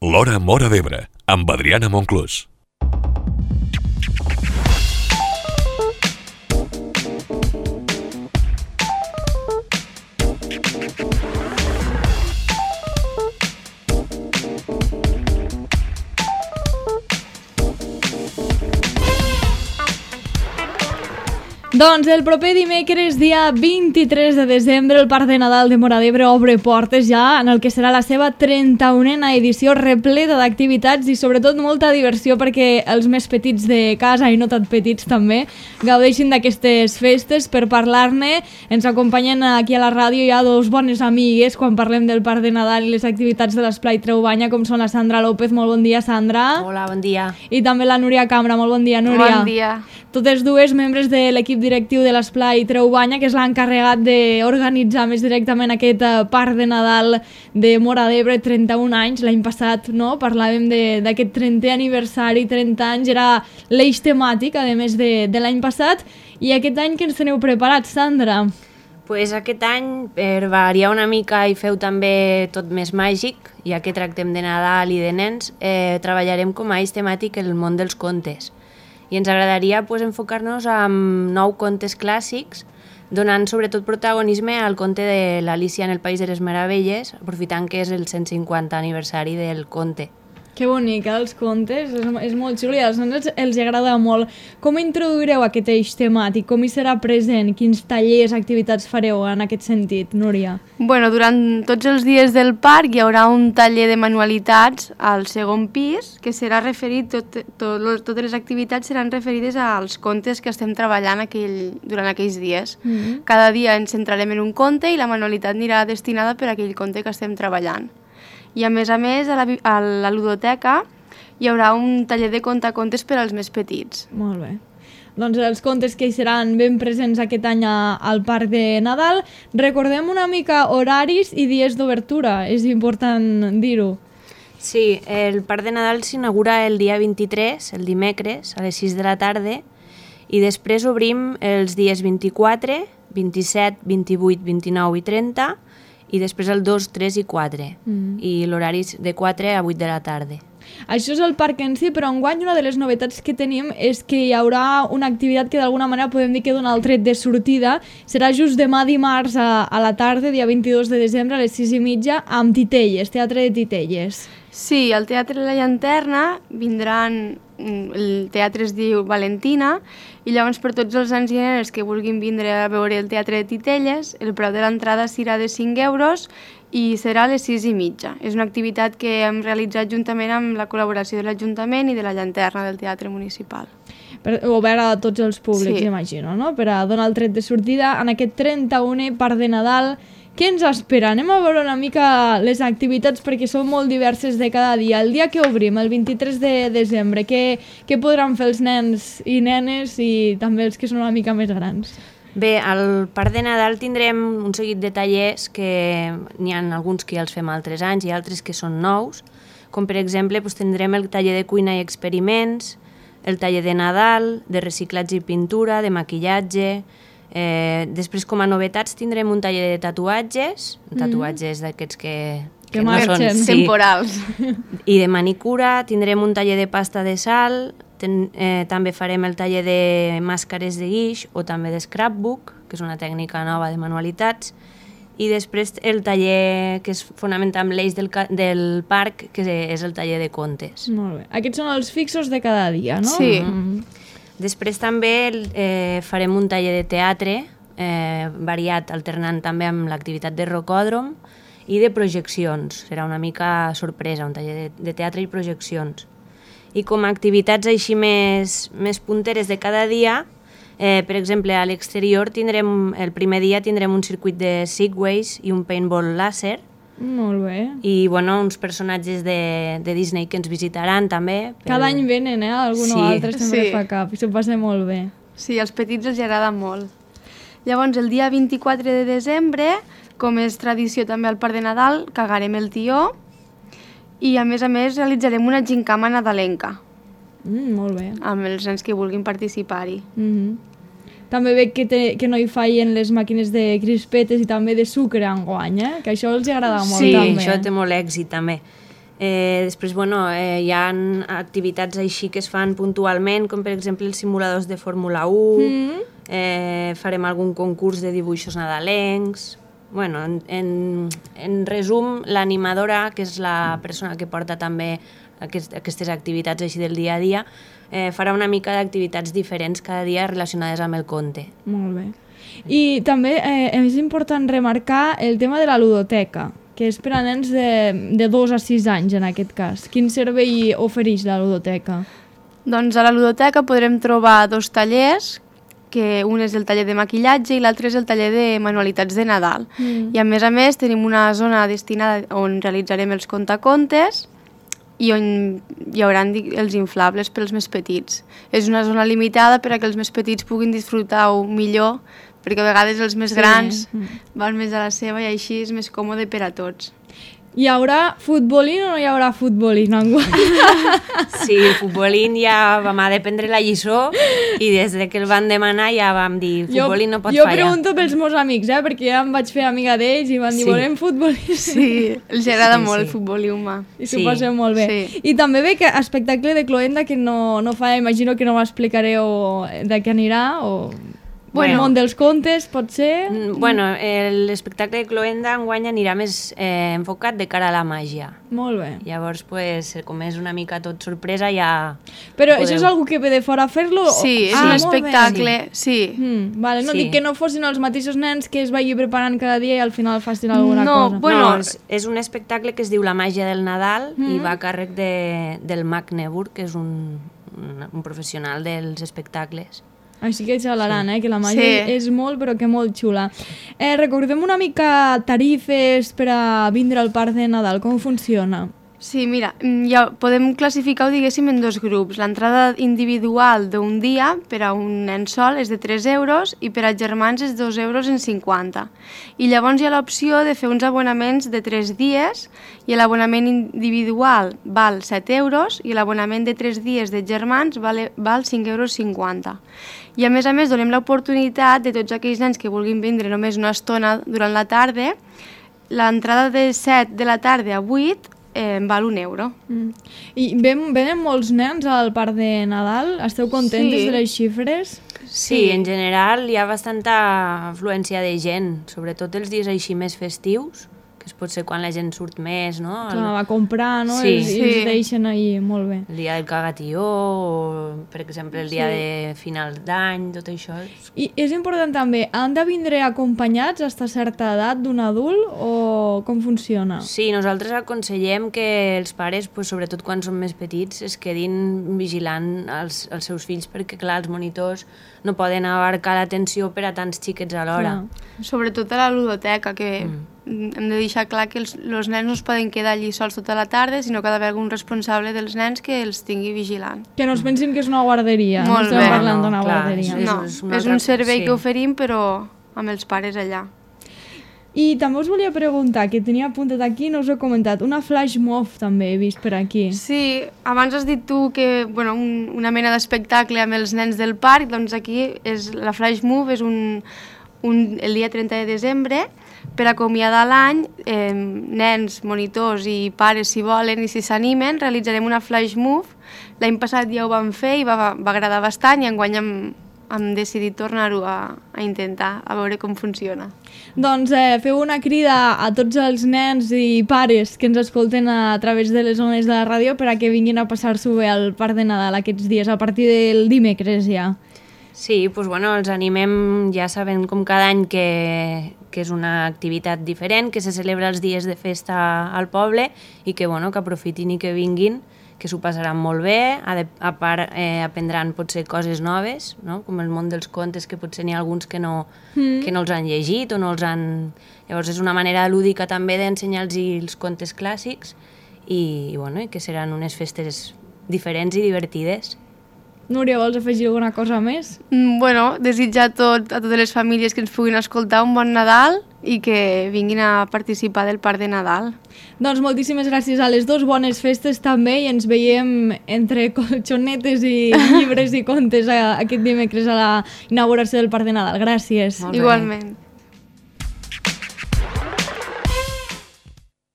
L'Hora Móra d'Ebre, amb Adriana Monclús. Doncs el proper dimecres, dia 23 de desembre, el Parc de Nadal de Móra d'Ebre obre portes ja en el que serà la seva 31a edició, repleta d'activitats i sobretot molta diversió perquè els més petits de casa i no tan petits també gaudeixin d'aquestes festes. Per parlar-ne ens acompanyen aquí a la ràdio ja dos bones amigues quan parlem del Parc de Nadal i les activitats de l'Esplai Traubanya, com són la Sandra López. Molt bon dia, Sandra. Hola, bon dia. I també la Núria Cambra. Molt bon dia, Núria. Bon dia. Totes dues membres de l'equip directiu de l'Esplai Traubanya, que és l'encarregat d'organitzar més directament aquest Parc de Nadal de Móra d'Ebre, 31 anys. L'any passat, no?, parlàvem d'aquest 30è aniversari, 30 anys, era l'eix temàtic, a més de l'any passat. I aquest any que ens teniu preparat, Sandra? Pues aquest any, per variar una mica i feu també tot més màgic, ja que tractem de Nadal i de nens, treballarem com a eix temàtic el món dels contes. I ens agradaria enfocar-nos en 9 contes clàssics, donant sobretot protagonisme al conte de l'Alícia en el País de les Meravelles, aprofitant que és el 150 aniversari del conte. Que bonic, els contes, és molt xulo i als nens els agrada molt. Com introduireu aquest eix temàtic? Com hi serà present? Quins tallers, activitats fareu en aquest sentit, Núria? Bueno, durant tots els dies del parc hi haurà un taller de manualitats al segon pis que serà referit, totes les activitats seran referides als contes que estem treballant durant aquells dies. Cada dia ens centrarem en un conte i la manualitat anirà destinada per a aquell conte que estem treballant. I a més, a la ludoteca hi haurà un taller de contacontes per als més petits. Molt bé. Doncs els contes que hi seran ben presents aquest any al Parc de Nadal. Recordem una mica horaris i dies d'obertura, és important dir-ho. Sí, el Parc de Nadal s'inaugura el dia 23, el dimecres, a les 6 de la tarda, i després obrim els dies 24, 27, 28, 29 i 30, i després el 2, 3 i 4, i l'horari és de 4 a 8 de la tarda. Això és el parc en si, però enguany una de les novetats que tenim és que hi haurà una activitat que d'alguna manera podem dir que dona el tret de sortida. Serà just demà dimarts a la tarda, dia 22 de desembre, a les 6:30, amb titelles, teatre de titelles. Sí, al Teatre La Llanterna vindran, el teatre es diu Valentina, i llavors per tots els nens i nenes que vulguin vindre a veure el teatre de titelles, el preu de l'entrada serà de 5 euros i serà a les 6:30. És una activitat que hem realitzat juntament amb la col·laboració de l'Ajuntament i de la Llanterna del Teatre Municipal. Obert a tots els públics, sí. Imagino, no? Per a donar el tret de sortida en aquest 31è Parc de Nadal. Què ens espera? Anem a veure una mica les activitats perquè són molt diverses de cada dia. El dia que obrim, el 23 de desembre, què podran fer els nens i nenes i també els que són una mica més grans? Bé, al Parc de Nadal tindrem un seguit de tallers que n'hi ha alguns que ja els fem altres anys i altres que són nous, com per exemple tindrem el taller de cuina i experiments, el taller de Nadal, de reciclatge i pintura, de maquillatge. Després, com a novetats, tindrem un taller de tatuatges d'aquests que no marxen. són Temporals. I de manicura. Tindrem un taller de pasta de sal, també farem el taller de màscares de guix o també de scrapbook, que és una tècnica nova de manualitats, i després el taller que es fonamenta amb l'eix del parc, que és el taller de contes. Molt bé. Aquests són els fixos de cada dia, no? Sí. Després també farem un taller de teatre variat, alternant també amb l'activitat de rocòdrom i de projeccions. Serà una mica sorpresa, un taller de teatre i projeccions. I com a activitats així més punteres de cada dia, per exemple, a l'exterior el primer dia tindrem un circuit de segways i un paintball làser. Molt bé. I uns personatges de Disney que ens visitaran també. Cada any venen, algun o altre sempre Sí. fa cap i s'ho passa molt bé. Sí, als petits els agrada molt. Llavors, el dia 24 de desembre, com és tradició també al Parc de Nadal, cagarem el tió i, a més, realitzarem una gincama nadalenca Molt bé. amb els nens que vulguin participar-hi. També veig que no hi fallen les màquines de crispetes i també de sucre enguany, que això els agrada molt Sí, també. això té molt èxit també. Després, bueno, hi ha activitats així que es fan puntualment, com per exemple els simuladors de Fórmula 1, farem algun concurs de dibuixos nadalencs. Bueno, en resum, l'animadora, que és la persona que porta també aquestes activitats així del dia a dia, farà una mica d'activitats diferents cada dia relacionades amb el conte. Molt bé. I també és important remarcar el tema de la ludoteca, que és per a nens de 2 a 6 anys en aquest cas. Quin servei ofereix la ludoteca? Doncs a la ludoteca podrem trobar 2 tallers, que un és el taller de maquillatge i l'altre és el taller de manualitats de Nadal. I a més tenim una zona destinada on realitzarem els contacontes i on hi haurà els inflables pels més petits. És una zona limitada per a que els més petits puguin disfrutar-ho millor, perquè a vegades els més grans van més a la seva i així és més còmode per a tots. Hi haurà futbolín o no hi haurà futbolín enguany? Sí, el futbolín ja vam haver de prendre la lliçó i des que el van demanar ja vam dir futbolín no pot fallar. Jo pregunto pels meus amics, perquè ja em vaig fer amiga d'ells i van dir volem futbolín. Sí, els agrada molt el futbolí humà. I s'ho passem molt bé. Sí. I també ve que espectacle de Cloenda que no fa, imagino que no m'explicareu de què anirà o... Bueno, el món dels contes, pot ser? Bueno, l'espectacle de Cloenda enguany anirà més enfocat de cara a la màgia. Molt bé. Llavors, pues, com és una mica tot sorpresa, ja... Però això és algú que ve de fora a fer-lo? Sí, és un espectacle, sí. Vale, no dic que no fossin els mateixos nens que es vagi preparant cada dia i al final facin alguna cosa. Bueno, és un espectacle que es diu La màgia del Nadal i va a càrrec del Mag Neburg, que és un professional dels espectacles. Així que xalaran, que la màgia és molt, però que molt xula. Recordem una mica tarifes per a vindre al Parc de Nadal, com funciona? Sí, mira, ja podem classificar-ho, diguéssim, en 2 grups. L'entrada individual d'un dia per a un nen sol és de 3 euros i per a germans és 2,50 euros. I llavors hi ha l'opció de fer uns abonaments de 3 dies i l'abonament individual val 7 euros i l'abonament de 3 dies de germans val 5,50 euros. I a més donem l'oportunitat de tots aquells nens que vulguin vindre només una estona durant la tarda, l'entrada de 7 de la tarda a 8 val 1 euro. I venen molts nens al Parc de Nadal? Esteu contentes de les xifres? Sí, en general hi ha bastanta afluència de gent, sobretot els dies així més festius, que pot ser quan la gent surt més, no? Clar, va comprar, no? I els deixen ahir, molt bé. El dia del cagatió, o per exemple el dia de final d'any, tot això. I és important també, han de vindre acompanyats fins a certa edat d'un adult o com funciona? Sí, nosaltres aconsellem que els pares, sobretot quan són més petits, es quedin vigilant els seus fills perquè, clar, els monitors no poden abarcar l'atenció per a tants xiquets alhora. Sobretot a la ludoteca, que hem de deixar clar que els nens no es poden quedar allí sols tota la tarda, sinó que ha d'haver algun responsable dels nens que els tingui vigilant. Que no es pensin que és una guarderia, molt no estem parlant d'una guarderia. No, és un servei que oferim, però amb els pares allà. I també us volia preguntar, que tenia apuntat aquí, no us he comentat, una flash mob també he vist per aquí. Sí, abans has dit tu que una mena d'espectacle amb els nens del parc, doncs aquí la flash mob és el dia 30 de desembre, per acomiadar l'any, nens, monitors i pares, si volen i si s'animen, realitzarem una flash move. L'any passat ja ho vam fer i va agradar bastant i enguany hem decidit tornar-ho a intentar, a veure com funciona. Doncs feu una crida a tots els nens i pares que ens escolten a través de les ones de la ràdio per a que vinguin a passar-s'ho bé al Parc de Nadal aquests dies, a partir del dimecres ja. Sí, doncs els animem, ja sabent com cada any que és una activitat diferent, que se celebra els dies de festa al poble i que aprofitin i que vinguin, que s'ho passaran molt bé, a part aprendran potser coses noves, no? Com el món dels contes, que potser n'hi ha alguns que no els han llegit o no els han... Llavors és una manera lúdica també d'ensenyar-los els contes clàssics i que seran unes festes diferents i divertides. Núria, vols afegir alguna cosa més? Desitjar a totes les famílies que ens puguin escoltar un bon Nadal i que vinguin a participar del Parc de Nadal. Doncs moltíssimes gràcies a les dues, bones festes també, i ens veiem entre colxonetes i llibres i contes aquest dimecres a la inauguració del Parc de Nadal. Gràcies. Igualment.